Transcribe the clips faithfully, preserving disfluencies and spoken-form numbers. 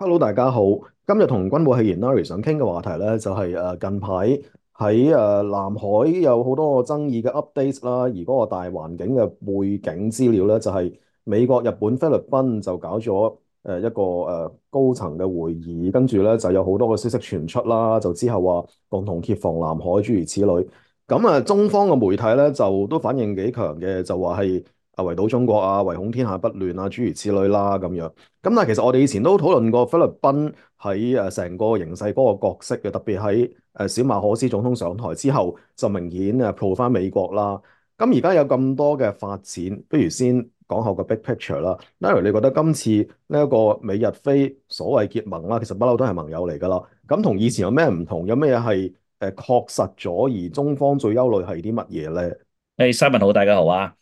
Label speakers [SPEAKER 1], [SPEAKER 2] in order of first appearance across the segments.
[SPEAKER 1] Hello，大家好。今日同軍務戲言 Larry 想傾嘅話題咧，就係誒近排喺誒南海有好多個爭議嘅 update 啦，而嗰個大環境嘅背景資料咧，就係美國、日本、菲律賓就搞咗誒一個誒高層嘅會議，跟住咧就有好多個消息傳出啦，就之後話共同協防南海諸如此類。咁啊，中方嘅媒體咧就都反應幾強嘅，就話係啊圍堵中國啊，唯恐天下不亂啊，諸如此類啦咁樣。咁但係其實我哋以前都討論過菲律賓喺誒成個形勢嗰個角色嘅，特別喺誒小馬可斯總統上台之後，就明顯誒 pro 翻美國啦。咁而家有咁多嘅發展，不如先講下個 big picture 啦。Larry，你覺得今次呢一個美日菲所謂結盟啦，其實不嬲都係盟友嚟㗎啦。咁同以前有咩唔同？有咩係誒確實咗，而中方最憂慮係啲乜嘢咧？
[SPEAKER 2] 誒，Simon 好，大家好啊！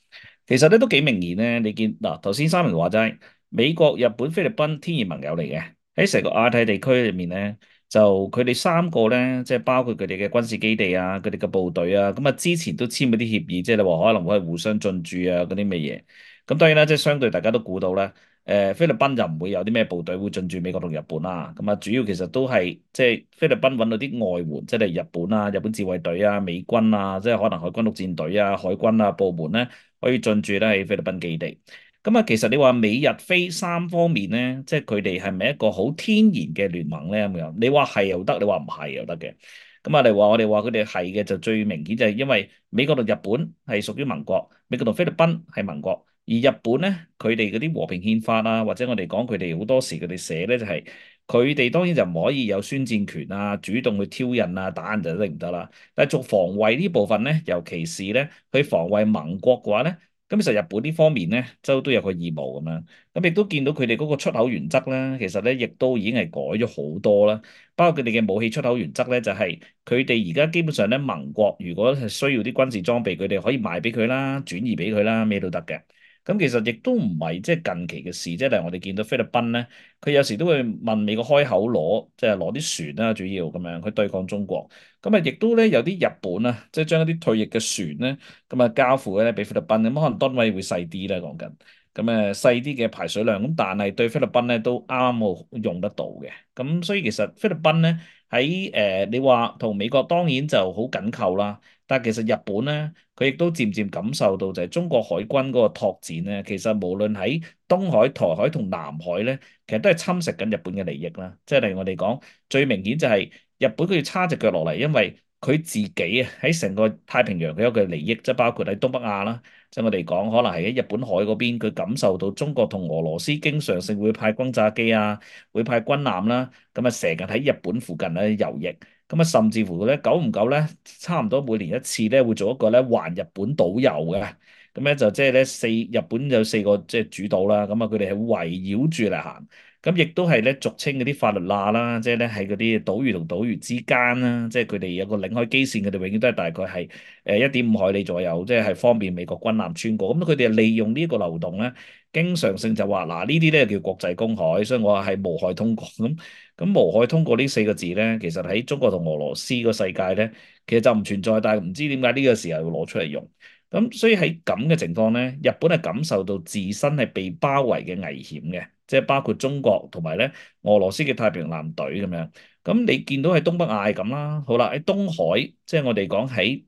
[SPEAKER 2] 其實咧都幾明顯咧，你見嗱頭先 Simon 話齋，美國、日本、菲律賓天然盟友嚟嘅，喺成個亞太地區裏面咧，就佢哋三個咧，即係包括佢哋嘅軍事基地啊，佢哋嘅部隊啊，咁啊之前都簽咗啲協議，即係你話可能會係互相進駐啊嗰啲咩嘢。咁當然啦，即係相對大家都估到啦。誒菲律賓就唔會有啲咩部隊會進駐美國同日本啦。咁啊，主要其實都係即係菲律賓揾到啲外援，即係日本啊、日本自衛隊啊、美軍啊，即係可能海軍陸戰隊啊、海軍啊部門咧，可以進駐咧喺菲律賓基地。咁啊，其實你話美日菲三方面咧，即係佢哋係咪一個好天然嘅聯盟咧？咁樣你話係又得，你話唔係又得嘅。咁啊，你話我哋話佢哋係嘅，就最明顯就係因為美國同日本係屬於盟國，美國同菲律賓係盟國。而日本咧，佢哋嗰啲和平憲法啊，或者我哋講佢哋好多時佢哋寫咧，就係佢哋當然就唔可以有宣戰權啊，主動去挑釁啊，打人就一定唔得啦。但係做防衛呢部分咧，尤其是咧去防衛盟國嘅話咧，咁其實日本呢方面咧，就都有個義務咁樣。咁亦都見到佢哋嗰個出口原則咧，其實咧亦都已經係改咗好多啦。包括佢哋嘅武器出口原則咧，就係佢哋而家基本上咧，盟國如果係需要啲軍事裝備，佢哋可以賣俾佢啦，轉移俾佢啦，咩都得嘅。咁其實亦都唔係即係近期嘅事，即係例如我哋見到菲律賓咧，佢有時都會問美國開口攞，即係攞啲船啦，主要咁樣去對抗中國。咁啊，亦都咧有啲日本啊，即係將一啲退役嘅船咧，咁啊交付咧俾菲律賓，咁可能噸位會細啲咧講緊，咁誒細啲嘅排水量，咁但係對菲律賓咧都啱啱好用得到嘅。咁所以其實菲律賓咧喺誒你話同美國當然就好緊扣啦。但係其實日本咧，佢亦都漸漸感受到就係中國海軍嗰個拓展咧，其實無論喺東海、台海同南海咧，其實都係侵蝕緊日本嘅利益啦。即係例如我哋講最明顯就係日本佢要叉隻腳落嚟，因為佢自己啊喺成個太平洋佢有嘅利益，即係包括喺東北亞啦，即係我哋講可能係喺日本海嗰邊，佢感受到中國同俄羅斯經常性會派轟炸機啊，會派軍艦啦，咁啊成日喺日本附近咧游弋。咁啊，甚至乎咧，久唔久咧，差唔多每年一次咧，會做一個咧環日本島遊嘅。咁咧就即係咧四日本有四個即係主島啦。咁啊，佢哋係圍繞住嚟行。咁亦都係咧俗稱嗰啲法律罅啦，即係咧喺嗰啲島嶼同島嶼之間啦，即係佢哋有個領海基線，佢哋永遠都係大概係誒一點五海里左右，即係係方便美國軍艦穿過。咁佢哋利用呢一個流動咧，經常性就話嗱呢啲咧叫國際公海，所以我話係無害通過咁。咁無害通過呢四個字咧，其實喺中國同俄羅斯個世界咧，其實就唔存在，但係唔知點解呢個時候要攞出嚟用。咁所以喺咁嘅情況咧，日本係感受到自身係被包圍嘅危險嘅，即係包括中國同埋咧俄羅斯嘅太平洋艦隊咁樣。咁你見到喺東北亞係咁啦，好啦喺東海，即係我哋講喺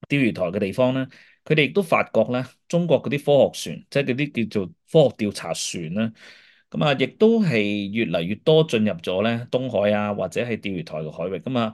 [SPEAKER 2] 釣魚台嘅地方咧，佢哋亦都發覺咧，中國嗰啲科學船，即係嗰啲叫做科學調查船啦。咁啊，亦都係越嚟越多進入咗咧東海啊，或者係釣魚台嘅海域。咁啊，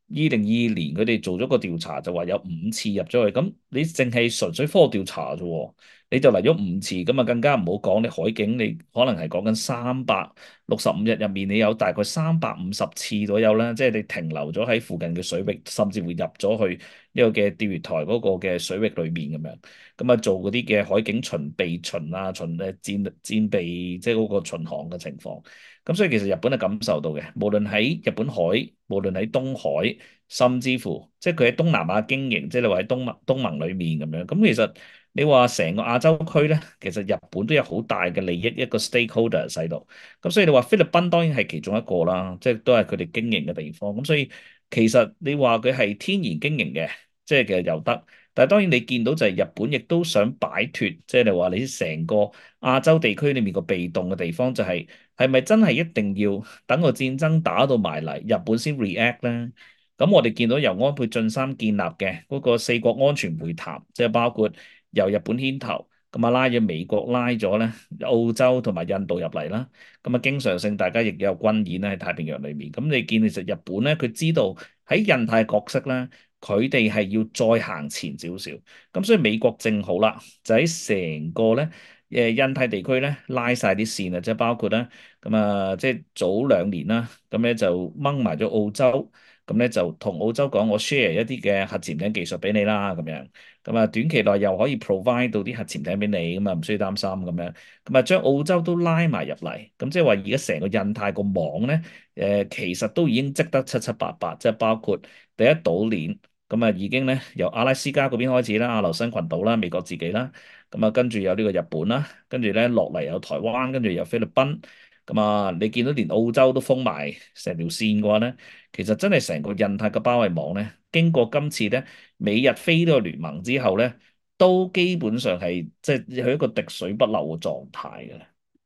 [SPEAKER 2] 二零二二年佢哋做咗個調查，就話有五次入咗去。咁你淨係純粹科學調查啫喎，你就嚟咗五次，咁啊更加唔好講你海警，你可能係講緊三百六十五日入面，你有大概三百五十次左右啦，即係你停留咗喺附近嘅水域，甚至會入咗去呢個嘅釣魚台嗰個嘅水域裏面咁樣。咁啊做嗰啲嘅海警巡備巡啊巡誒戰戰備，即係嗰個巡航嘅情況。咁所以其實日本係感受到嘅，無論喺日本海，無論喺東海，甚至乎即係佢喺東南亞經營，即係你話喺東盟東盟裡面咁樣。咁其實你話成個亞洲區咧，其實日本都有好大嘅利益一個 stakeholder 喺度。咁所以你話菲律賓當然係其中一個啦，即係都係佢哋經營嘅地方。咁所以其實你話佢係天然經營嘅，即係其實又得。但係當然你見到就係日本亦都想擺脫，即係你話你成個亞洲地區裏面個被動嘅地方，就係係咪真係一定要等個戰爭打到埋嚟，日本先 react 咧？咁我哋見到由安倍晉三建立嘅嗰個四國安全會談，即係包括由日本牽頭，咁啊拉咗美國拉咗咧澳洲同埋印度入嚟啦，咁啊經常性大家亦有軍演咧喺太平洋裏面。咁你見其實日本咧，佢知道喺印太角色咧，佢哋係要再行前少少。咁所以美國正好啦，就喺成個咧誒印太地區咧拉晒啲線啊，即係包括咧咁啊，即係早兩年啦，咁咧就掹埋咗澳洲。咁咧就同澳洲講，我 share 一啲嘅核潛艇技術俾你啦，咁樣，咁啊短期內又可以 provide 到啲核潛艇俾你，咁啊唔需要擔心咁樣，咁啊將澳洲都拉埋入嚟，咁即係話而家成個印太個網咧，誒其實都已經織得七七八八，即係包括第一島鏈，咁啊已經咧由阿拉斯加嗰邊開始啦，阿留申群島啦，美國自己啦，咁啊跟住有呢個日本啦，跟住咧落嚟有台灣，跟住有菲律賓，咁啊你見到連澳洲都封埋成條線嘅話咧。其實真係成個印太嘅包圍網咧，經過今次咧美日非呢個聯盟之後咧，都基本上係即係去一個滴水不漏嘅狀態嘅。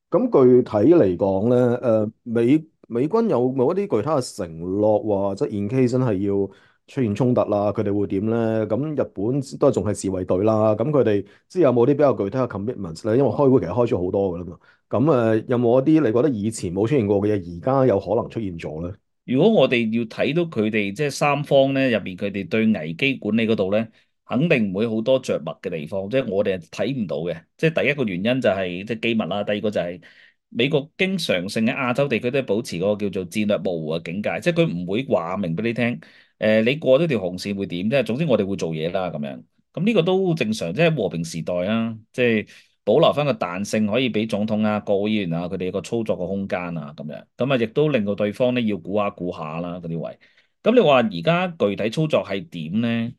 [SPEAKER 1] 咁具體嚟講咧，誒美美軍有冇一啲具體嘅承諾話，即係 in case 真係要出現衝突啦，佢哋會點咧？咁日本都係仲係自衛隊啦，咁佢哋即係有冇啲比較具體嘅 commitments 咧？因為開會其實開咗好多噶啦嘛。咁誒有冇一啲你覺得以前冇出現過嘅嘢，而家有可能出現咗咧？
[SPEAKER 2] 如果我哋要睇到佢哋即係三方咧入邊佢哋對危機管理嗰度咧，肯定唔會好多着墨嘅地方，即係我哋係睇唔到嘅。即係第一個原因就係即係機密啦，第二個就係美國經常性喺亞洲地區都係保持嗰個叫做戰略模糊嘅境界，即係佢唔會話明俾你聽，誒、你過咗條紅線會點？即係總之我哋會做嘢啦咁樣。咁呢個都正常，即係和平時代啊，即係。保留翻個彈性，可以俾總統啊、國會議員啊佢哋個操作嘅空間啊，咁樣咁啊，亦都令到對方咧要估下估下啦嗰啲位。咁你話而家具體操作係點咧？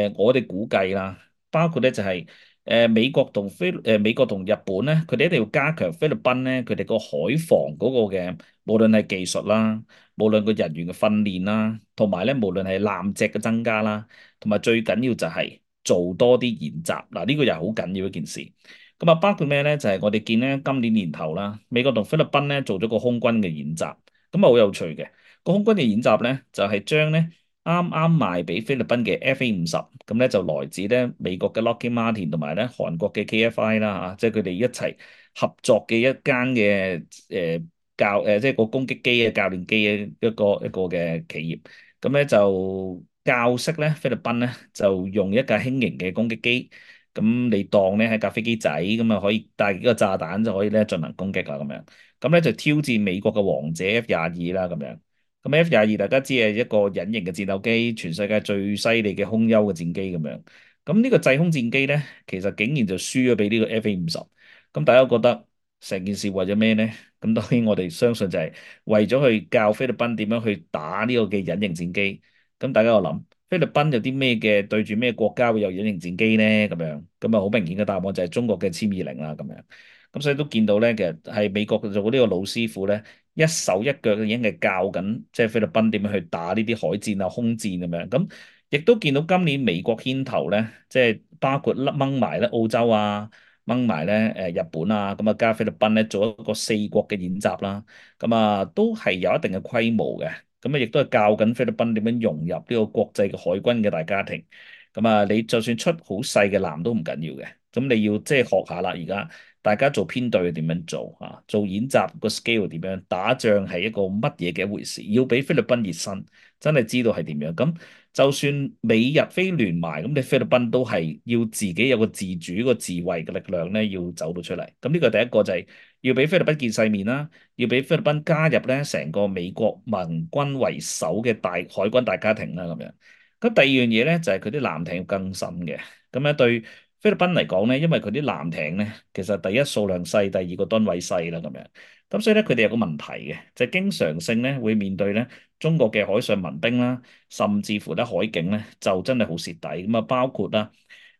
[SPEAKER 2] 誒、我哋估計啦，包括咧就係、誒、美國同菲誒、美國同日本咧，佢哋一定要加強菲律賓咧，佢哋個海防嗰個嘅，無論係技術啦，無論個人員嘅訓練啦，同埋咧無論係艦隻嘅增加啦，同埋最緊要就係做多啲演習。嗱，呢個又係好緊要一件事。咁啊，包括咩咧？就係、我哋見咧，今年年頭啦，美國同菲律賓咧做咗個空軍嘅演習，咁啊好有趣嘅。個空軍嘅演習咧，就係將咧啱啱賣俾菲律賓嘅 F A 五十，咁咧就來自咧美國嘅 Lockheed Martin 同埋咧韓國嘅 K F I 啦嚇，即係佢哋一齊合作嘅一間嘅誒教誒，即係個攻擊機嘅教練機嘅一個一個嘅企業。咁咧就教識咧菲律賓咧就用一架輕型嘅攻擊機。咁你當咧喺架飛機仔咁啊，可以帶幾個炸彈就可以咧進行攻擊啦咁樣。咁咧就挑戰美國嘅王者 F 廿二啦咁樣。咁 F 廿二大家知係一個隱形嘅戰鬥機，全世界最犀利嘅空優嘅戰機咁樣。咁呢個制空戰機咧，其實竟然就輸咗俾呢個 F A 五十。咁大家覺得成件事為咗咩咧？咁當然我哋相信就係為咗去教菲律賓點樣去打呢個嘅隱形戰機。咁大家又諗？菲律賓有啲咩嘅對住咩國家會有隱形戰機咧？咁樣咁啊，好明顯嘅答案就係中國嘅殲二零啦。咁樣咁所以都見到咧，其實係美國做呢個老師傅咧，一手一腳已經係教緊，即係菲律賓點樣去打呢啲海戰啊、空戰咁樣。咁亦都見到今年美國牽頭咧，即係包括掹埋咧澳洲啊、掹埋咧誒日本啊，咁啊加菲律賓咧做一個四國嘅演習啦。咁啊都係有一定嘅規模嘅。咁啊，亦都係教緊菲律賓點樣融入呢個國際嘅海軍嘅大家庭。咁啊，你就算出好細嘅艦都唔緊要嘅。咁你要即係學下啦，而家大家做編隊點樣做啊？做演習個 scale 點樣？打仗係一個乜嘢嘅一回事？要俾菲律賓熱身，真係知道係點樣。咁就算美日菲聯埋，咁你菲律賓都係要自己有個自主、個自衛嘅力量咧，要走到出嚟。咁呢個第一個就係要俾菲律賓見世面啦。要俾菲律賓加入咧成個美國盟軍為首嘅大海軍大家庭啦，咁樣。咁第二樣嘢咧就係佢啲艦艇要更新嘅。咁咧對菲律賓嚟講咧，因為佢啲艦艇咧，其實第一數量細，第二個噸位細啦，咁樣。咁所以咧佢哋有個問題嘅，就係經常性咧會面對咧中國嘅海上民兵啦，甚至乎咧海警咧就真係好蝕底。咁啊，包括啦。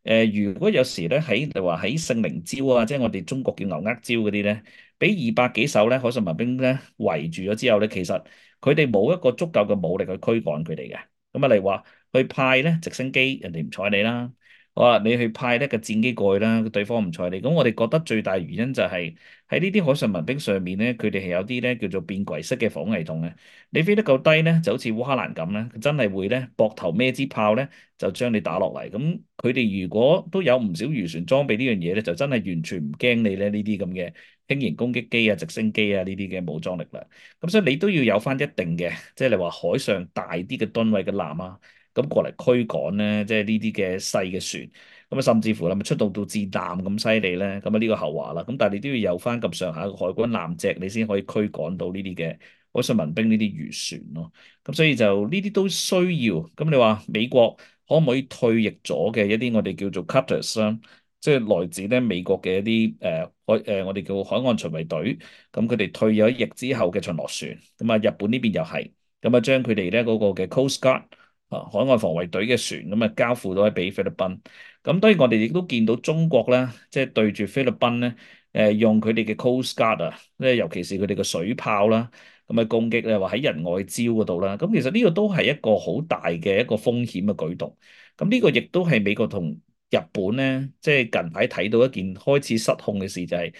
[SPEAKER 2] 誒、呃，如果有時咧喺你話喺聖靈礁啊，即係我哋中國叫牛軛礁嗰啲咧，俾二百幾艘咧海上民兵咧圍住咗之後咧，其實佢哋冇一個足夠嘅武力去驅趕佢哋嘅。咁啊，例如話去派咧直升機，人哋唔睬你啦；好啊，你去派一個戰機過去啦，對方唔睬你。咁我哋覺得最大原因就係喺呢啲海上民兵上面咧，佢哋係有啲咧叫做便攜式嘅防空系統嘅。你飛得夠低咧，就好似烏克蘭咁咧，佢真係會咧膊頭孭支炮咧，就將你打落嚟。咁佢哋如果都有唔少漁船裝備呢樣嘢咧，就真係完全唔驚你咧呢啲咁嘅輕型攻擊機啊、直升機啊呢啲嘅武裝力量。咁所以你都要有翻一定嘅，即係你話海上大啲嘅噸位嘅艦啊。咁過嚟驅趕咧，即係呢啲嘅細嘅船，咁啊甚至乎啦，咪出動到戰艦咁犀利咧，咁啊呢個後話啦。咁但係你都要有翻咁上下嘅海軍艦隻，你先可以驅趕到呢啲嘅海上民兵呢啲漁船咯。咁所以就呢啲都需要。咁你話美國可唔可以退役咗嘅一啲我哋叫做 cutters 啦，即係來自咧美國嘅一啲誒海誒我哋叫海岸巡衛隊，咁佢哋退咗役之後嘅巡邏船，咁啊日本呢邊又係，咁啊將佢哋咧嗰個嘅 Coast Guard。啊，海外防衛隊嘅船咁啊，交付咗俾菲律賓。咁當然我哋亦都見到中國咧，即係對住菲律賓咧，誒用佢哋嘅 Coast Guard 啊，咧尤其是佢哋嘅水炮啦，咁啊攻擊咧，話喺人外礁嗰度啦。咁其實呢個都係一個好大嘅一個風險嘅舉動。咁呢個亦都係美國同日本咧，即係近排睇到一件開始失控嘅事，就係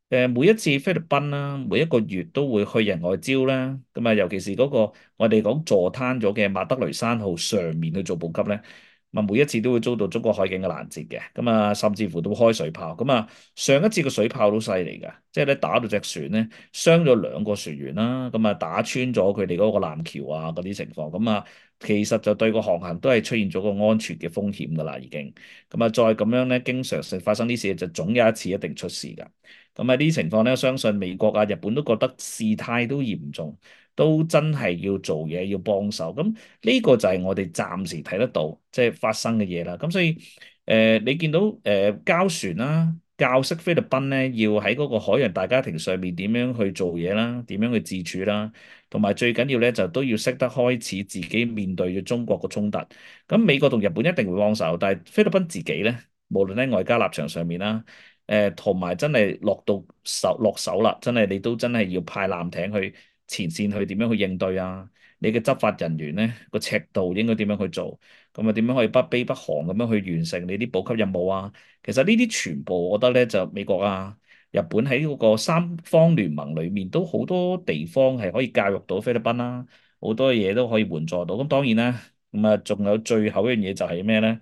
[SPEAKER 2] 誒每一次菲律賓啦，每一個月都會去人外礁啦。咁啊，尤其是嗰個我哋講坐灘咗嘅馬德雷山號上面去做補給咧，咁啊每一次都會遭到中國海警嘅攔截嘅。咁啊，甚至乎都開水炮。咁啊，上一次個水炮都犀利㗎，即係咧打到隻船咧傷咗兩個船員啦。咁啊，打穿咗佢哋嗰個艦橋啊嗰啲情況。咁啊，其實就對個航行都係出現咗個安全嘅風險㗎啦，已經。咁啊，再咁樣咧，經常性發生啲事，就總有一次一定出事㗎。咁喺呢啲情況咧，相信美國啊、日本都覺得事態都嚴重，都真係要做嘢，要幫手。咁呢個就係我哋暫時睇得到，即係發生嘅嘢啦。咁所以誒、呃，你見到誒、呃、交船啦，教識菲律賓咧，要喺嗰個海洋大家庭上面點樣去做嘢啦，點樣去自處啦，同埋最緊要咧就都要識得開始自己面對住中國嘅衝突。咁美國同日本一定會幫手，但係菲律賓自己咧，無論喺外交立場上面啦。誒同埋真係落到手落手啦，真係你都真係要派艦艇去前線去點樣去應對啊？你嘅執法人員咧個尺度應該點樣去做？咁啊點樣可以不卑不亢咁樣去完成你啲補給任務啊？其實呢啲全部我覺得咧就美國啊、日本喺嗰個三方聯盟裡面都好多地方係可以教育到菲律賓啦，好多嘢都可以援助到。咁當然啦，咁啊仲有最後一樣嘢就係咩咧？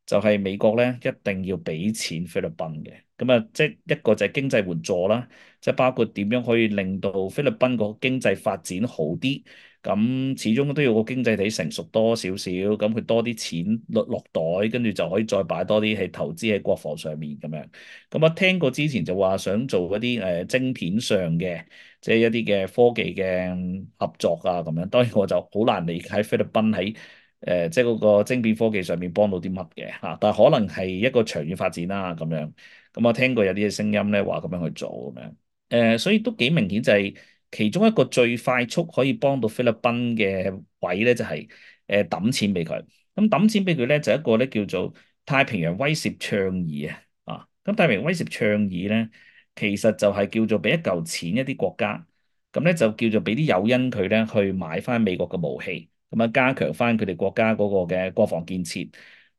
[SPEAKER 2] 就係美國咧一定要俾錢菲律賓嘅。咁啊，即係一個就係經濟援助啦，即係包括點樣可以令到菲律賓個經濟發展好啲。咁始終都要個經濟體成熟多少少，咁佢多啲錢落落袋，跟住就可以再擺多啲係投資喺國防上面咁樣。咁我聽過之前就話想做一啲誒晶片上嘅，即係一啲嘅科技嘅合作啊咁樣。當然我就好難理解菲律賓喺誒即係嗰個晶片科技上面幫到啲乜嘅嚇，但係可能係一個長遠發展啦咁樣。咁我聽過有啲嘅聲音咧，話咁樣去做咁樣，誒、呃，所以都幾明顯就係其中一個最快速可以幫到菲律賓嘅位咧，就係誒揼錢俾佢。咁揼錢俾佢咧，就一個咧叫做太平洋威懾倡議啊，啊，咁太平洋威懾倡議咧，其實就係叫做俾一嚿錢一啲國家，咁咧就叫做俾啲誘因佢咧去買翻美國嘅武器，咁啊加強翻佢哋國家嗰個嘅國防建設。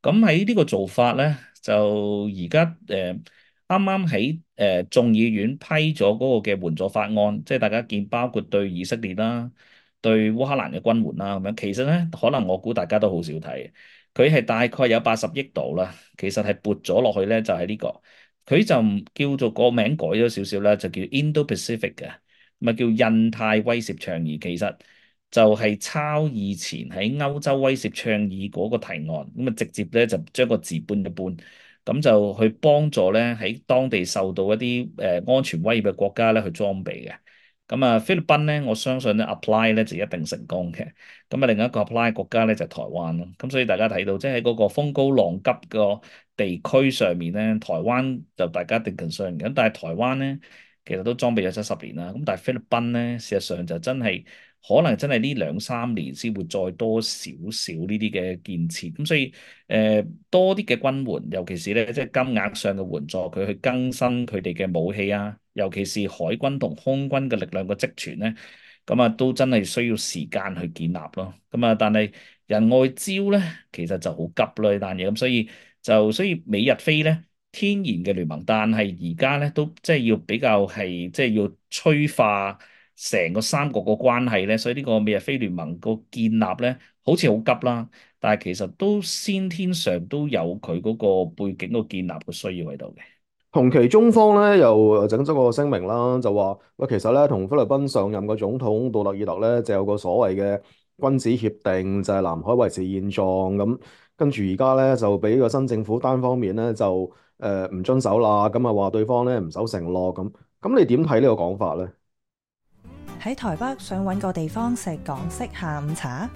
[SPEAKER 2] 咁喺呢個做法咧，就而家誒。啱啱喺誒眾議院批咗嗰個嘅援助法案，即係大家見包括對以色列啦、對烏克蘭嘅軍援啦咁樣。其實咧，可能我估大家都好少睇，佢係大概有八十億度啦。其實係撥咗落去咧，就係呢個，佢就唔叫做個名改咗少少啦，就叫 Indo-Pacific 嘅，咪叫印太威懾倡議。其實就係抄以前喺歐洲威懾倡議嗰個提案，咁啊直接咧就將個字搬一搬。咁就去幫助咧喺當地受到一啲誒、呃、安全威脅嘅國家咧去裝備嘅。咁啊菲律賓咧，我相信咧 apply 咧就一定成功嘅。咁啊另一個 apply 國家咧就係、台灣咯。咁所以大家睇到即係喺嗰個風高浪急個地區上面咧，台灣就大家一定 concern 嘅。咁但係台灣咧其實都裝備咗七十年啦。咁但係菲律賓咧事實上就真係。可能真係呢兩三年先會再多少少呢啲嘅建設，咁所以誒、呃、多啲嘅軍援，尤其是咧即係金額上嘅援助，佢去更新佢哋嘅武器啊，尤其是海軍同空軍嘅力量嘅積存咧，咁啊都真係需要時間去建立咯。咁啊，但係人外招咧，其實就好急啦呢單嘢，咁所以就所以美日菲咧天然嘅聯盟，但係而家咧都即係要比較係即係要催化成個三國個關係咧，所以呢個美日菲聯盟個建立咧好似好急啦，但係其實都先天上都有佢嗰個背景個建立嘅需要喺度嘅。
[SPEAKER 1] 同期中方咧又整咗個聲明啦，就話喂，其實咧同菲律賓上任嘅總統杜特爾特咧就有個所謂嘅君子協定，就係南海維持現狀咁。跟住而家咧就俾個新政府單方面咧就誒唔遵守啦，咁啊話對方咧唔守承諾咁。咁你點睇呢個講法咧？
[SPEAKER 3] 喺台北想揾個地方食港式下午茶，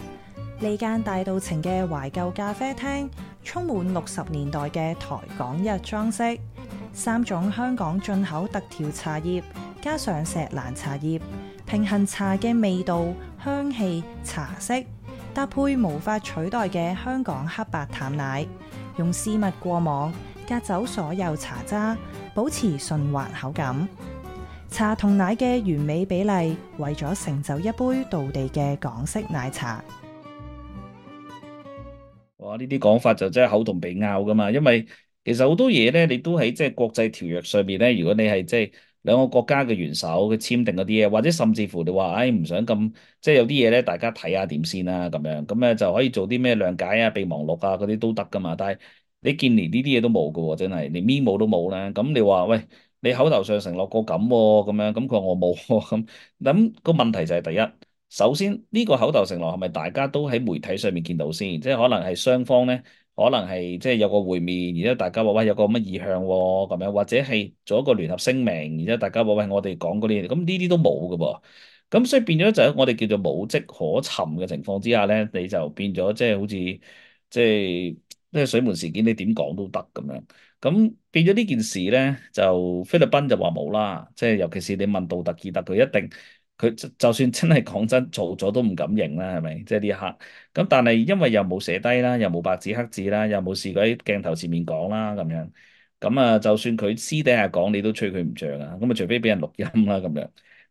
[SPEAKER 3] 呢間大道情嘅懷舊咖啡廳，充滿六十年代嘅台港日裝飾，三種香港進口特調茶葉，加上錫蘭茶葉，平衡茶嘅味道、香氣、茶色，搭配無法取代嘅香港黑白淡奶，用絲襪過網，隔走所有茶渣，保持順滑口感。茶同奶嘅完美比例，為咗成就一杯道地嘅港式奶茶。
[SPEAKER 2] 哇！呢啲講法就真係口同鼻拗噶嘛，因為其實好多嘢咧，你都喺即係國際條約上邊咧。如果你係即係兩個國家嘅元首嘅簽訂嗰啲嘢，或者甚至乎你話，唉唔想咁，即係有啲嘢咧，大家睇下點先啦，咁樣咁咧就可以做啲咩諒解啊、備忘錄啊嗰啲都得噶嘛。但係你見連呢啲嘢都冇噶喎，真係連 memo 都冇咧。咁你話喂，你口頭上承諾過咁喎，咁樣咁佢話我冇喎咁，咁個問題就係第一。首先呢個口頭承諾係咪大家都喺媒體上面見到先？即係可能係雙方咧，可能係即係有個會面，然之後大家話喂有個乜意向喎咁樣，或者係做一個聯合聲明，然之後大家話喂我哋講嗰啲嘢，咁呢啲都冇㗎噃。咁所以變咗就係我哋叫做無跡可尋嘅情況之下咧，你就變咗即係好似即係即係水門事件，你點講都得咁樣。咁變咗呢件事咧，就菲律賓就話冇啦，即係尤其是你問杜特爾特，佢一定。佢就就算真係講真做咗都唔敢認啦，係咪？即係呢一刻。咁但係因為又冇寫低啦，又冇白紙黑字啦，又冇試過喺鏡頭前面講啦，咁樣。咁啊，就算佢私底下講，你都吹佢唔脹啊。咁啊，除非俾人錄音啦，咁樣。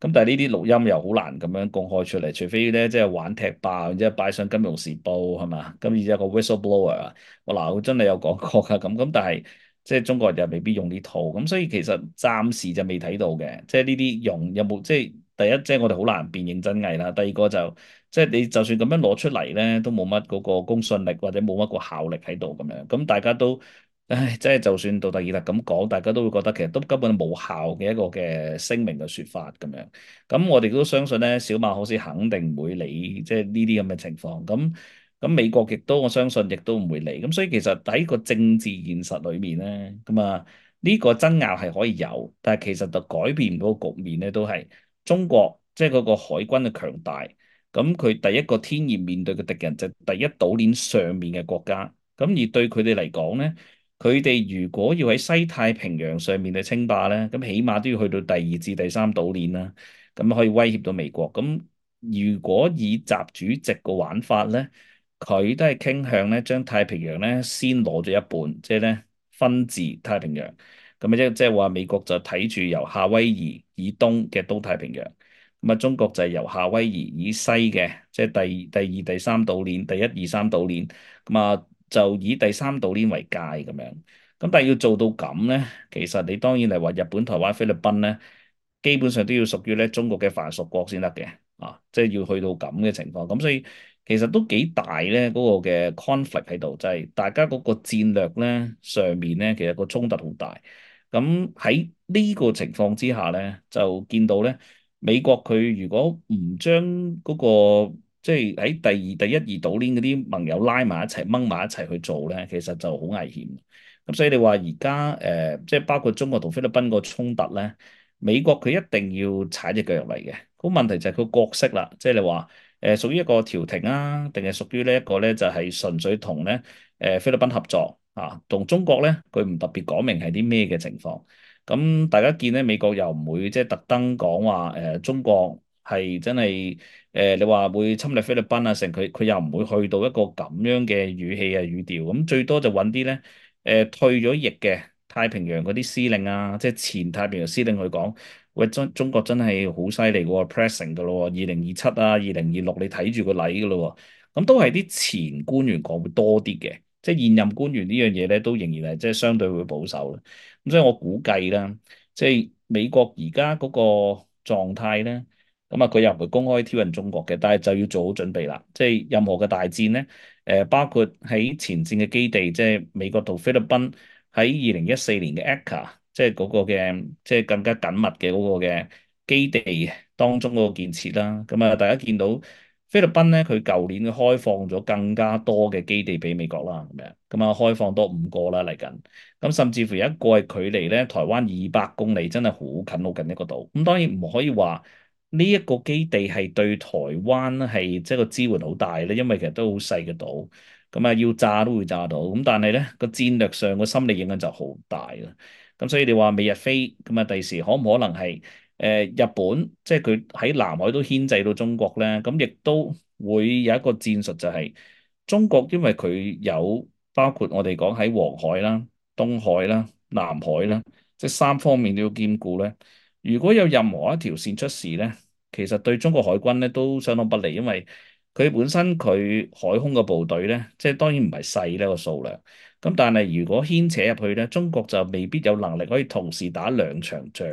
[SPEAKER 2] 咁但係呢啲錄音又好難咁樣公開出嚟，除非咧即係玩踢爆，然之後擺上《金融時報》係嘛？咁而且個 whistleblower 啊，我嗱我真係有講過㗎，咁咁但係即係中國人又未必用呢套，咁所以其實暫時就未睇到嘅，即係呢啲用有冇即係第一即係我哋好難辨認真偽啦，第二個就即係你就算咁樣攞出嚟咧，都冇乜嗰個公信力或者冇乜個效力喺度咁樣，咁大家都。唉，即係就算杜特爾特咁講，大家都會覺得其實都根本冇效嘅一個嘅聲明嘅説法咁樣。咁我哋都相信咧，小馬可斯肯定唔會理即係呢啲咁嘅情況。咁咁美國亦都我相信亦都唔會理。咁所以其實喺個政治現實裏面咧，咁啊呢個爭拗係可以有，但係其實就改變唔到個局面咧，都係中國即係嗰個海軍嘅強大。咁佢第一個天然面對嘅敵人就係第一島鏈上面嘅國家。咁而對佢哋嚟講咧。佢哋如果要喺西太平洋上面去稱霸咧，咁起碼都要去到第二至第三島鏈啦，咁可以威脅到美國。咁如果以習主席個玩法咧，佢都係傾向咧將太平洋咧先攞咗一半，即係咧分治太平洋。咁即即係話美國就睇住由夏威夷以東嘅東太平洋，咁啊中國就係由夏威夷以西嘅，即係第第二、第三島鏈、第一二三島鏈，咁啊。就以第三島鏈為界咁樣，咁但係要做到咁咧，其實你當然係話日本、台灣、菲律賓咧，基本上都要屬於咧中國嘅藩屬國先得嘅，啊，即係要去到咁嘅情況，咁所以其實都幾大咧嗰個嘅 conflict 喺度，就係大家嗰個戰略咧上面咧，其實個衝突好大。咁喺呢個情況之下咧，就見到咧美國佢如果唔將嗰個即係喺第二、第一二島鏈嗰啲盟友拉埋一齊掹埋一齊去做咧，其實就好危險。咁所以你話而家誒，即係包括中國同菲律賓個衝突咧，美國佢一定要踩隻腳入嚟嘅。個問題就係佢角色啦，即係你話誒屬於一個調停啊，定係屬於呢一個咧就係純粹同咧誒菲律賓合作啊，同中國咧佢唔特別講明係啲咩嘅情況。咁大家見咧美國又唔會即係特登講話誒中國係真係。誒、呃，你話會侵略菲律賓啊？成佢佢又唔會去到一個咁樣嘅語氣啊語調，咁最多就揾啲咧誒退咗役嘅太平洋嗰啲司令啊，即係前太平洋司令去講，喂中中國真係好犀利喎，pressing 噶咯喎，二零二七啊，二零二六你睇住個禮噶咯喎，咁都係啲前官員講會多啲嘅，即係現任官員呢樣嘢咧，都仍然係即係相對會保守啦。咁所以我估計啦，即係美國而家嗰個狀態咧，咁啊佢又唔會公開挑釁中國嘅，但係就要做好準備啦。即係任何嘅大戰咧，誒包括喺前線嘅基地，即係美國同菲律賓喺二零一四年嘅 A C C A，即係嗰個嘅即係更加緊密嘅嗰個嘅基地當中嗰個建設啦。咁啊，大家見到菲律賓咧，佢舊年開放咗更加多嘅基地俾美國啦，咁樣咁啊，開放多五個啦嚟緊。咁甚至乎有一個係距離咧台灣二百公里，真係好近好近一個島。咁當然唔可以話呢一個基地係對台灣係即係個支援好大咧，因為其實都好細嘅島。咁啊，要炸都會炸到。咁但係咧個戰略上個心理影響就好大啦。咁所以你話美日菲咁啊，第時可唔可能係誒、呃、日本即係佢喺南海都牽制到中國咧？咁亦都會有一個戰術就係、中國，因為佢有包括我哋講喺黃海啦、東海啦、南海啦，即係三方面都要兼顧咧。如果有任何一條線出事咧，其實對中國海軍咧都相當不利，因為佢本身佢海空嘅部隊咧，即係當然唔係細呢個數量。咁但係如果牽扯入去咧，中國就未必有能力可以同時打兩場仗。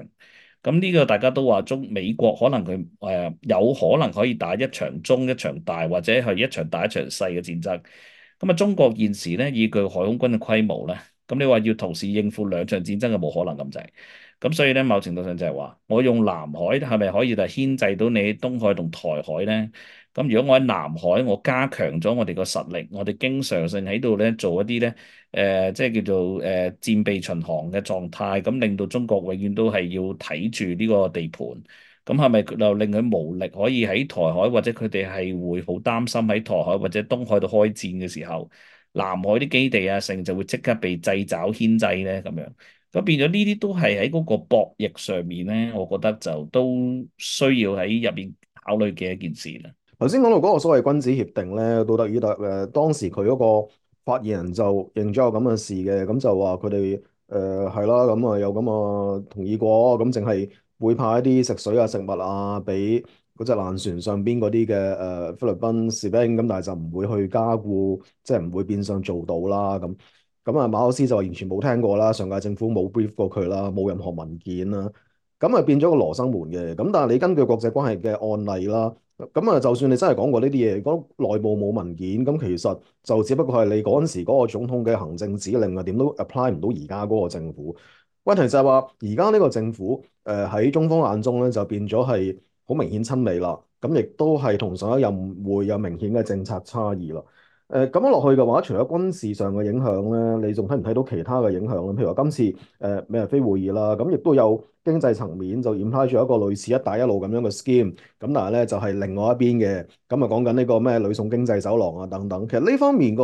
[SPEAKER 2] 咁呢個大家都話中美國可能佢誒、呃、有可能可以打一場中一場大，或者係一場大一場細嘅戰爭。咁啊，中國現時咧以佢海空軍嘅規模咧，咁你話要同時應付兩場戰爭嘅冇可能咁滯。咁所以咧，某程度上就係話，我用南海係咪可以就係牽制到你東海同台海咧？咁如果我喺南海，我加強咗我哋個實力，我哋經常性喺度咧做一啲咧誒，即係叫做誒、呃、戰備巡航嘅狀態，咁令到中國永遠都係要睇住呢個地盤。咁係咪就令佢無力可以喺台海，或者佢哋係會好擔心喺台海或者東海度開戰嘅時候，南海啲基地啊，成就會即刻被掣肘牽制咧咁樣。咁變咗呢啲都係喺嗰個博弈上面咧，我覺得就都需要喺入邊考慮嘅一件事啦。
[SPEAKER 1] 頭先講到嗰個所謂君子協定咧，杜特爾特誒當時佢嗰個發言人就認咗有咁嘅事嘅，咁就話佢哋誒係啦，咁啊有咁啊同意過，咁淨係會派一啲食水啊食物啊俾嗰隻爛船上邊嗰啲嘅誒菲律賓士兵，咁但係就唔會去加固，即係唔會變相做到啦咁。咁啊馬可斯就完全冇聽過啦，上屆政府冇 brief 過佢啦，冇任何文件啦，咁啊變咗個羅生門嘅。咁但係你根據國際關係嘅案例啦。咁啊，就算你真係講過呢啲嘢，講內部冇文件，咁其實就只不過係你嗰陣時嗰個總統嘅行政指令啊，點都 apply 唔到而家嗰個政府。問題就係話，而家呢個政府誒喺中方眼中咧，就變咗係好明顯親美啦，咁亦都係同上一任會有明顯嘅政策差異啦。誒咁樣落去嘅話，除咗軍事上嘅影響咧，你仲睇唔睇到其他嘅影響咧？譬如話今次誒美日菲會議啦，咁亦都有經濟層面就 imply 咗一個類似一帶一路咁樣嘅 scheme，咁但係咧就係另外一邊嘅，咁啊講緊呢個咩呂宋經濟走廊啊等等，其實呢方面個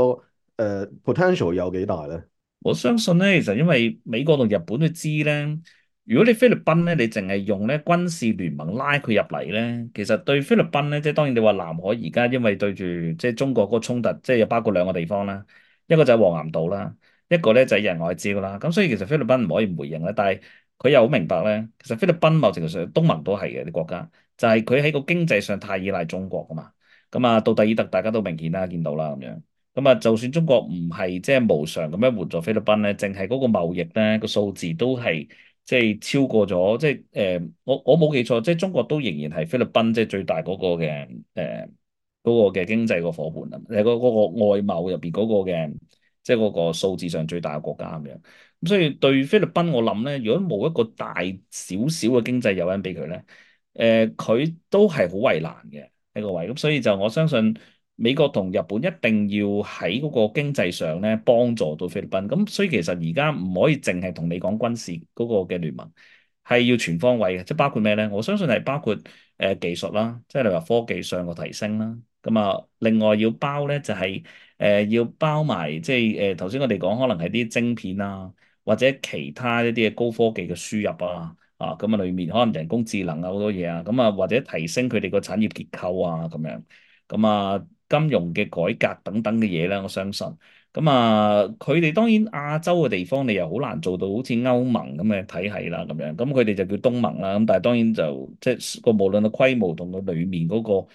[SPEAKER 1] 誒 potential 有幾大咧？
[SPEAKER 2] 我相信咧，其實因為美國同日本都知咧，如果你菲律賓咧，你淨係用咧軍事聯盟拉佢入嚟咧，其實對菲律賓咧，即係當然你話南海而家因為對住即係中國嗰個衝突，即係又包括兩個地方啦，一個就係黃岩島啦，一個咧就係仁愛礁啦。咁所以其實菲律賓唔可以唔回應咧，但係佢又好明白咧，其實菲律賓某程度上東盟都係嘅啲國家，就係佢喺個經濟上太依賴中國噶嘛。咁啊，杜特爾特大家都明顯啦，見到啦咁樣。咁啊，就算中國唔係即係無償咁樣援助菲律賓咧，淨係嗰個貿易咧個數字都係即係超過咗，即係誒、呃，我我冇記錯，即係中國都仍然係菲律賓即係最大嗰個嘅誒嗰個嘅經濟個伙伴啊，誒嗰嗰個外貿入邊嗰個嘅即係嗰個數字上最大嘅國家咁樣。咁所以對菲律賓我諗咧，如果冇一個大少少嘅經濟誘因俾佢咧，誒、呃、佢都係好為難嘅呢個位。咁所以就我相信。美國同日本一定要喺嗰個經濟上咧幫助到菲律賓，咁所以其實而家唔可以淨係同你講軍事嗰個嘅聯盟，係要全方位嘅，即係包括咩咧？我相信係包括誒、呃、技術啦，即係你話科技上嘅提升啦，咁啊另外要包咧就係、是、誒、呃、要包埋即係誒頭先我哋講可能係啲晶片啊，或者其他一啲嘅高科技嘅輸入啊，啊咁啊裡面可能人工智能啊好多嘢啊，咁啊或者提升佢哋個產業結構啊咁樣，咁啊。金融嘅改革等等嘅嘢咧，我相信咁啊，佢哋當然亞洲嘅地方，你又好難做到好似歐盟咁嘅體系啦，咁樣咁佢哋就叫東盟啦。咁但係當然就即係個無論個規模同個裡面嗰個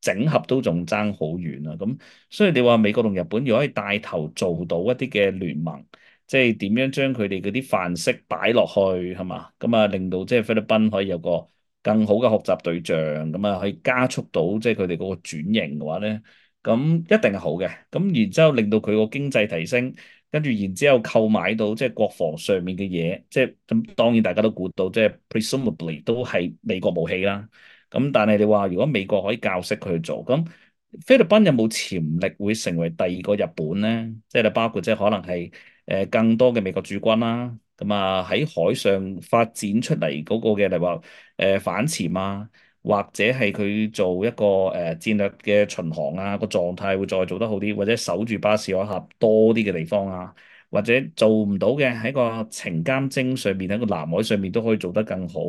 [SPEAKER 2] 整合都仲爭好遠啊。咁所以你話美國同日本如果可以帶頭做到一啲嘅聯盟，即係點樣將佢哋嗰啲範式擺落去係嘛？咁啊，令到即係菲律賓可以有個更好嘅學習對象，咁啊可以加速到即係佢哋嗰個轉型嘅話咧，咁一定係好嘅。咁然之後令到佢個經濟提升，跟住然之後購買到即係國防上面嘅嘢，即係咁當然大家都估到，即係 presumably 都係美國武器啦。咁但係你話如果美國可以教識佢去做，咁菲律賓有冇潛力會成為第二個日本呢？即係你包括即係可能係誒更多嘅美國駐軍啦，咁啊喺海上發展出嚟嗰個嘅，例如話誒反潛啊，或者係佢做一個誒、呃、戰略嘅巡航啊，個狀態會再做得好啲，或者守住巴士海峽多啲嘅地方啊，或者做唔到嘅喺個情監偵上面喺個南海上面都可以做得更好，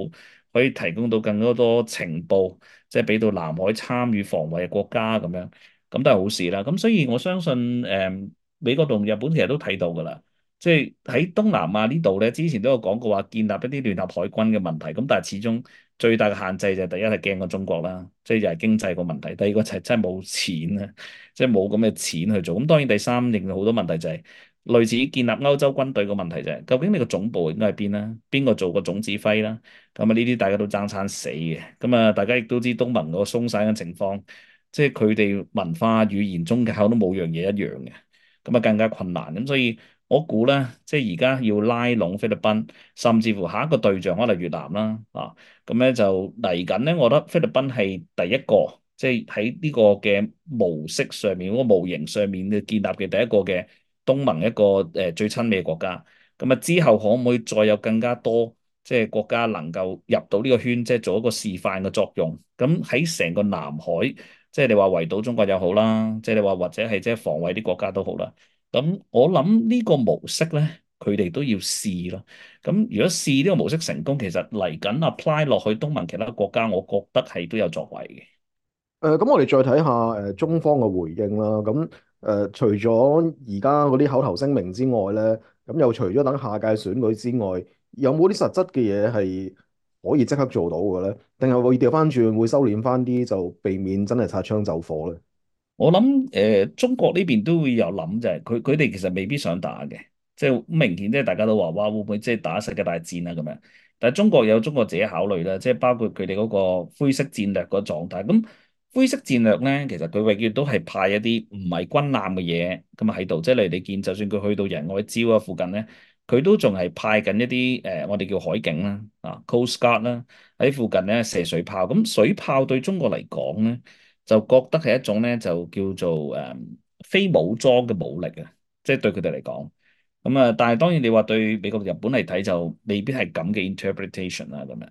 [SPEAKER 2] 可以提供到更多多情報。即係俾到南海參與防衛嘅國家咁樣，咁都係好事啦。咁所以我相信誒、嗯、美國同日本其實都睇到㗎啦。即係喺東南亞呢度咧，之前都有講過話建立一啲聯合海軍嘅問題。咁但係始終最大嘅限制就係第一係驚過中國啦，即係又係經濟個問題。第二個就係真係冇錢啊，即係冇咁嘅錢去做。咁當然第三令到好多問題就係、類似建立歐洲軍隊個問題就係、究竟你個總部應該喺邊啦？邊個做個總指揮啦？咁啊，呢啲大家都爭餐死嘅。咁啊，大家亦都知東盟嗰個鬆散嘅情況，即係佢哋文化、語言、宗教都冇樣嘢一樣嘅，咁啊更加困難。咁所以我估咧，即係而家要拉攏菲律賓，甚至乎下一個對象可能越南啦，啊，咁咧就嚟緊咧，我覺得菲律賓係第一個，即係喺呢個嘅模式上面、嗰個模型上面嘅建立嘅第一個嘅東盟一個誒最親美嘅國家。咁啊之後可唔可以再有更加多？即係國家能夠入到呢個圈，即係做一個示範嘅作用。咁喺成個南海，即係你話圍堵中國又好啦，即係你話或者係即係防衛啲國家都好啦。咁我諗呢個模式咧，佢哋都要試咯。咁如果試呢個模式成功，其實嚟緊 apply 落去東盟其他國家，我覺得係都有作為嘅。
[SPEAKER 1] 誒，咁我哋再睇下誒中方嘅回應啦。咁誒，除咗而家嗰啲口頭聲明之外咧，咁又除咗等下屆選舉之外，有冇啲實質嘅嘢係可以即刻做到嘅咧？定係會調翻轉，會收斂翻啲，就避免真係擦槍走火咧？
[SPEAKER 2] 我諗誒、呃，中國呢邊都會有諗就係佢佢哋其實未必想打嘅，即係好明顯，即係大家都話哇會唔會即係打世界大戰啊咁樣？但係中國有中國自己考慮啦，即係包括佢哋嗰個灰色戰略個狀態。咁灰色戰略咧，其實佢永遠都係派一啲唔係軍艦嘅嘢咁啊喺度，即係例如你見，就算佢去到仁愛礁啊附近咧，佢都仲係派緊一啲誒、呃，我哋叫海警啦啊，Coast Guard 啦喺附近咧射水炮。咁水炮對中國嚟講咧，就覺得係一種咧，就叫做誒、嗯、非武裝嘅武力啊，即係對佢哋嚟講。咁啊，但係當然你話對美國、日本嚟睇就未必係咁嘅 interpretation 啦，咁樣。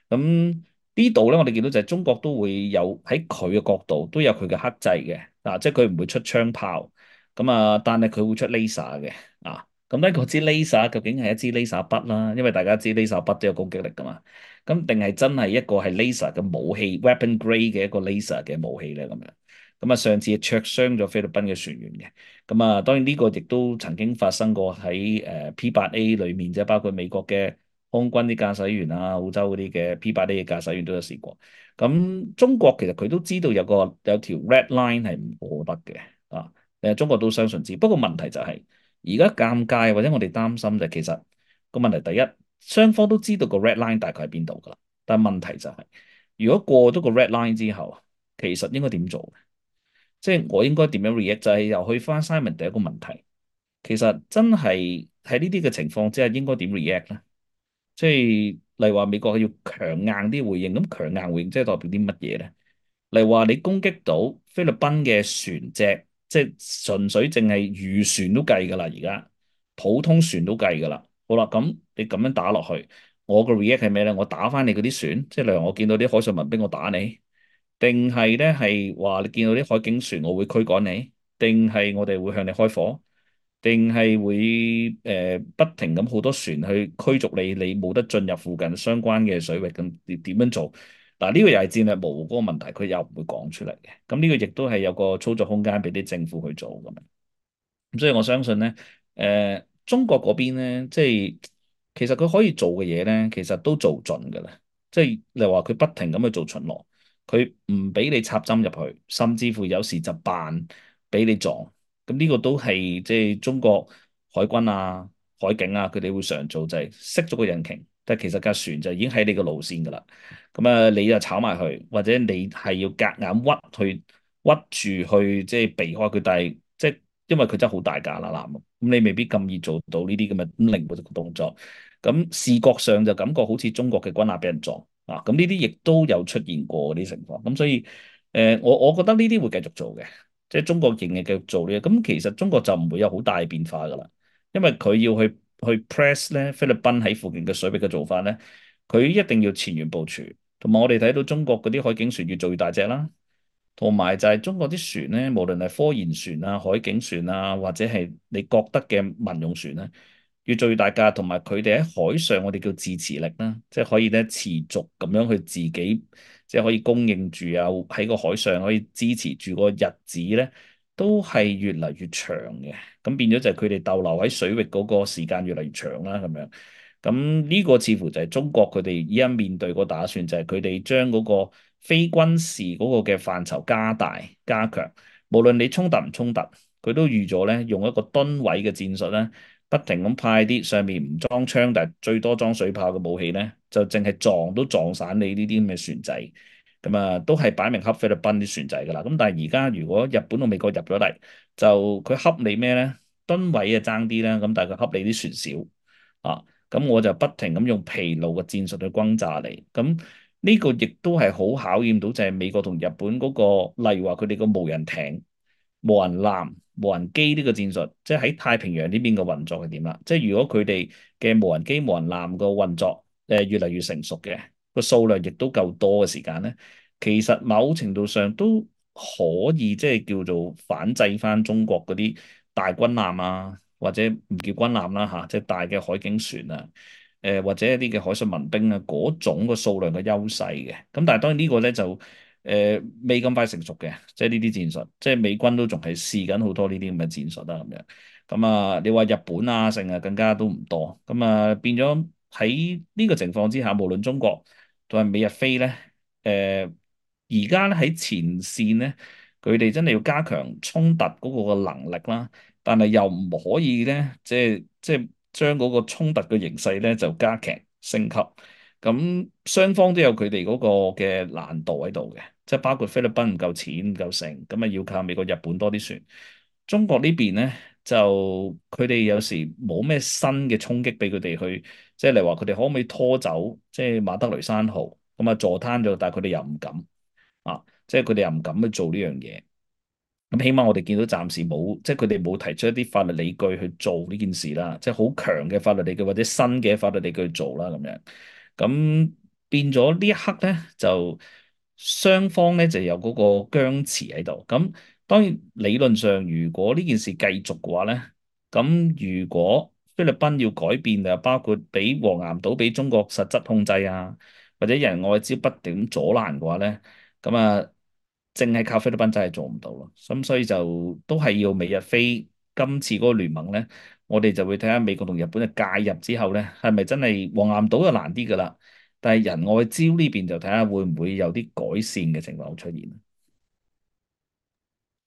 [SPEAKER 2] 咁呢度咧，我哋見到就係中國都會有喺佢嘅角度都有佢嘅克制嘅啊，即係佢唔會出槍炮。咁啊，但係佢會出 laser 嘅啊。咁咧，嗰支 laser 究竟係一支 laser 筆啦，因為大家知 laser 筆都有攻擊力噶嘛。咁定係真係一個係 laser 嘅武器 weapon grade 嘅一個 laser 嘅武器咧咁樣。咁啊，上次灼傷咗菲律賓嘅船員嘅。咁啊，當然呢個亦都曾經發生過喺誒 P 八 A 裏面，即係包括美國嘅空軍啲駕駛員啊，澳洲嗰啲嘅 P 八 A 嘅駕駛員都有試過。咁中國其實佢都知道有個有條 red line 係唔過得嘅啊。誒，中國都相信知。不過問題就係而家尷尬或者我哋擔心就係其實個問題第一，雙方都知道個 red line 大概喺邊度㗎啦。但係問題就係、是，如果過咗個 red line 之後，其實應該點做？即係我應該點樣 react？就係又去翻 Simon 第一個問題，其實真係喺呢啲嘅情況之下，應該點 react 咧？即係例如話美國要強硬啲回應，咁強硬回應即係代表啲乜嘢咧？例如話你攻擊到菲律賓嘅船隻，即係純粹淨係漁船都計㗎啦，而家普通船都計㗎啦。好啦，咁你咁樣打落去，我個 react 係咩咧？我打翻你嗰啲船，即係例如我見到啲海上民兵，我打你。定係咧係話你見到啲海警船，我會驅趕你；定係我哋會向你開火；定係會誒、呃、不停咁好多船去驅逐你，你冇得進入附近相關嘅水域咁點點樣做？嗱，呢個又係戰略模糊嗰個問題，佢又唔會講出嚟嘅。咁呢個亦都係有個操作空間俾啲政府去做咁樣。咁所以我相信咧，誒、呃、中國嗰邊咧，即係其實佢可以做嘅嘢咧，其實都做盡㗎啦。即係你話佢不停咁去做巡邏。佢唔俾你插針入去，甚至乎有時就扮俾你撞。咁呢個都係即係中國海軍啊、海警啊，佢哋會常做，就係熄咗個引擎，但係其實架船就已經喺你個路線㗎啦。咁啊，你就炒埋去，或者你係要夾硬屈去屈住去即係避開佢，但係即係因為佢真係好大架啦，艦，咁你未必咁易做到呢啲咁嘅咁靈活嘅動作。咁視覺上就感覺好似中國嘅軍艦俾人撞啊！咁呢啲亦都有出現過啲情況。咁所以誒、呃，我我覺得呢啲會繼續做嘅，即係中國仍然繼續做呢。咁其實中國就唔會有好大變化噶啦，因為佢要去去 press 咧菲律賓喺附近嘅水域嘅做法咧，佢一定要前沿部署。同埋我哋睇到中國嗰啲海警船越做越大隻啦，同埋就係中國啲船咧，無論係科研船啊、海警船啊，或者係你覺得嘅民用船咧，越做越大架，同埋佢哋喺海上我哋叫自持力啦，即係可以咧持續咁樣去自己，即係可以供應住啊，喺個海上可以支持住個日子咧，都係越嚟越長嘅。咁變咗就係佢哋逗留喺水域嗰個時間越嚟越長啦，咁樣。咁呢個似乎就係中國佢哋依家面對個打算，就係佢哋將嗰個非軍事嗰個嘅範疇加大加強，無論你衝突唔衝突，佢都預咗咧用一個噸位嘅戰術咧，不停咁派啲上面唔裝槍，但係最多裝水炮嘅武器咧，就淨係撞都撞散你呢啲咁嘅船仔，咁啊都係擺明恰菲律賓啲船仔㗎啦。咁但係而家如果日本同美國入咗嚟，就佢恰你咩咧？噸位啊爭啲啦，咁但係佢恰你啲船少。啊，咁我就不停咁用疲勞嘅戰術去轟炸你，咁呢個亦都係好考驗到就係美國同日本嗰個，例如話佢哋個無人艇、無人艦、無人機呢個戰術，即係喺太平洋呢邊嘅運作係點啦？即係如果佢哋嘅無人機、無人艦個運作誒越嚟越成熟嘅，個數量亦都夠多嘅時間咧，其實某程度上都可以即係叫做反制翻中國嗰啲大軍艦啊。或者唔叫軍艦啦嚇，即係大嘅海警船啊，誒或者一啲嘅海上民兵啊，嗰種個數量嘅優勢嘅。咁但係當然呢個咧就誒未咁快成熟嘅，即係呢啲戰術，即係美軍都仲係試緊好多呢啲咁嘅戰術啦咁樣。咁啊，你話日本啊，剩啊更加都唔多。咁啊變咗喺呢個情況之下，無論中國同埋美日菲咧，誒而家咧喺前線咧，佢哋真係要加強衝突嗰個嘅能力啦。但係又唔可以咧，即係即係將嗰個衝突嘅形勢咧就加劇升級。咁雙方都有佢哋嗰個嘅難度喺度嘅，即係包括菲律賓唔夠錢唔夠成，咁啊要靠美國、日本多啲船。中國呢邊咧就佢哋有時冇咩新嘅衝擊俾佢哋去，即係例如話佢哋可唔可以拖走即係馬德雷山號咁啊坐攤咗，但係佢哋又唔敢啊，即係佢哋又唔敢去做呢樣嘢。咁起碼我哋見到暫時冇，即係佢哋冇提出一啲法律理據去做呢件事啦，即係好強嘅法律理據或者新嘅法律理據去做啦咁樣。咁變咗呢一刻咧，就雙方咧就有嗰個僵持喺度。咁當然理論上，如果呢件事繼續嘅話咧，咁如果菲律賓要改變就包括俾黃岩島俾中國實質控制啊，或者人外招不斷阻攔嘅話咧，咁啊〜淨係靠菲律賓真係做唔到咯，咁所以就都係要美日菲今次嗰個聯盟咧，我哋就會睇下美國同日本嘅介入之後咧，係咪真係黃岩島就難啲噶啦，但係人外招呢邊就睇下會唔會有啲改善嘅情況出現。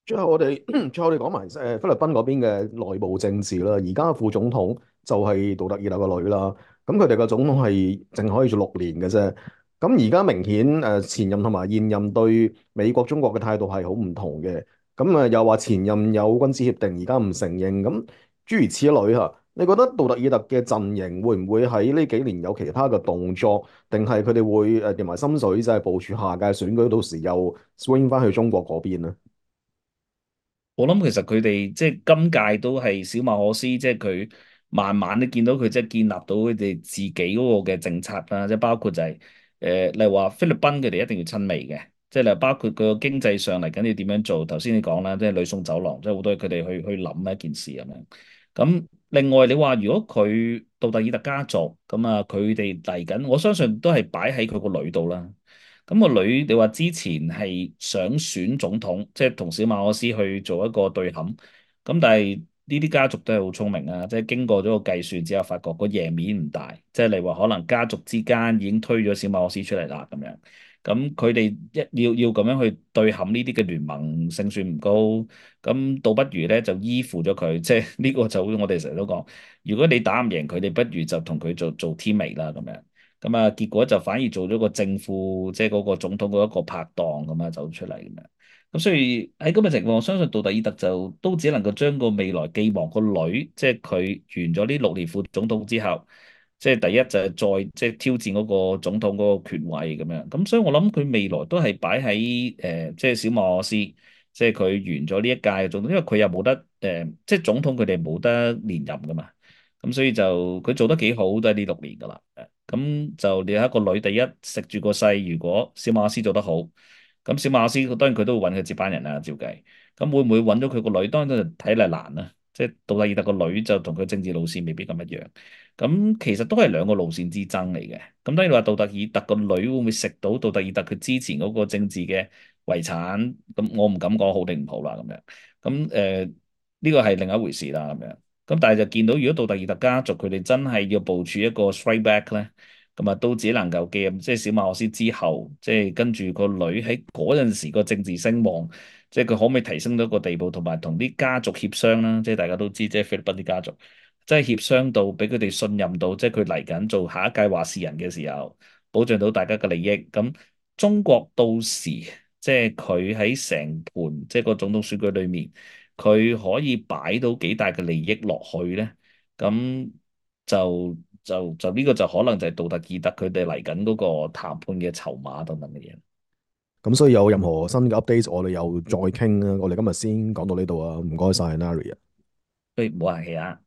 [SPEAKER 1] 最後我哋最後我哋講埋誒菲律賓嗰邊嘅內部政治啦。而家副總統就係杜特爾特個女啦。咁佢哋個總統係淨可以做六年嘅啫。咁而家明顯誒前任同埋現任對美國中國嘅態度係好唔同嘅。咁啊又話前任有軍事協定，而家唔承認。咁諸如此類嚇。你覺得杜特爾特嘅陣營會唔會喺呢幾年有其他嘅動作，定係佢哋會誒掂埋心水，就係部署下屆選舉，到時又 swing 翻去中國嗰邊咧？
[SPEAKER 2] 我諗其實佢哋即係今屆都係小馬可斯，即係佢慢慢都見到佢即係建立到佢哋自己嗰個嘅政策啦，即係包括就係、是、誒、呃，例如話菲律賓佢哋一定要親美嘅，即係例如包括佢個經濟上嚟緊要點樣做。頭先你講啦，即係呂宋走廊，即係好多佢哋去去諗一件事咁樣。咁另外你話如果佢杜特爾特家族咁啊，佢哋嚟緊，我相信都係擺喺佢個女度啦。咁個女，你話之前係想選總統，即係同小馬可斯去做一個對撼。咁但係呢啲家族都係好聰明啊，即係經過咗個計算之後，發覺個贏面唔大，即係你話可能家族之間已經推咗小馬可斯出嚟啦咁樣。咁佢哋一要要咁樣去對撼呢啲嘅聯盟勝算唔高，咁倒不如咧就依附咗佢，即係呢個就好似我哋成日都講，如果你打唔贏佢哋，不如就同佢做做 teammate 啦咁樣。咁啊，結果就反而做咗個正副，即係嗰個總統嗰一個拍檔咁啊，走出嚟咁樣。咁所以喺咁嘅情況，我相信杜特爾特就都只能夠將個未來寄望個女，即係佢完咗呢六年副總統之後，即係第一就係再即係挑戰嗰個總統嗰個權位咁樣。咁所以我諗佢未來都係擺喺誒，即係小馬可斯，即係佢完咗呢一屆嘅總統，因為佢又冇得誒、呃，即係總統佢哋冇得連任噶嘛。咁所以就佢做得幾好，都係呢六年噶啦。咁就你有一個女，第一食住個勢，如果小馬可斯做得好，咁小馬可斯當然佢都會揾佢接班人啦，照計。咁會唔會揾到佢個女？當然就睇嚟難啦。即係杜特爾特個女就同佢政治路線未必咁一樣。咁其實都係兩個路線之爭嚟嘅。咁當然你話杜特爾特個女會唔會食到杜特爾特佢之前嗰個政治嘅遺產？咁我唔敢講好定唔好啦。咁樣咁誒呢個係另一回事啦。咁樣。咁但係就見到，如果杜特爾特家族佢哋真係要部署一個 strike back 咧，咁啊都只能夠記入，即係小馬可斯之後，即係跟住個女喺嗰陣時個政治聲望，即係佢可唔可以提升到一個地步，同埋同啲家族協商啦，即係大家都知，即係菲律賓啲家族，即係協商到俾佢哋信任到，即係佢嚟緊做下一屆話事人嘅時候，保障到大家嘅利益。咁中國到時即係佢喺成盤即係個總統選舉裏面。佢可以擺到幾大嘅利益落去咧，咁就就就呢個就可能就係杜特爾特佢哋嚟緊嗰個談判嘅籌碼等等嘅嘢。
[SPEAKER 1] 咁所以有任何新嘅 update，我哋又再傾啦。我哋今日先講到呢度啊，唔該晒 Nari 啊。
[SPEAKER 2] 所以唔好客氣啊。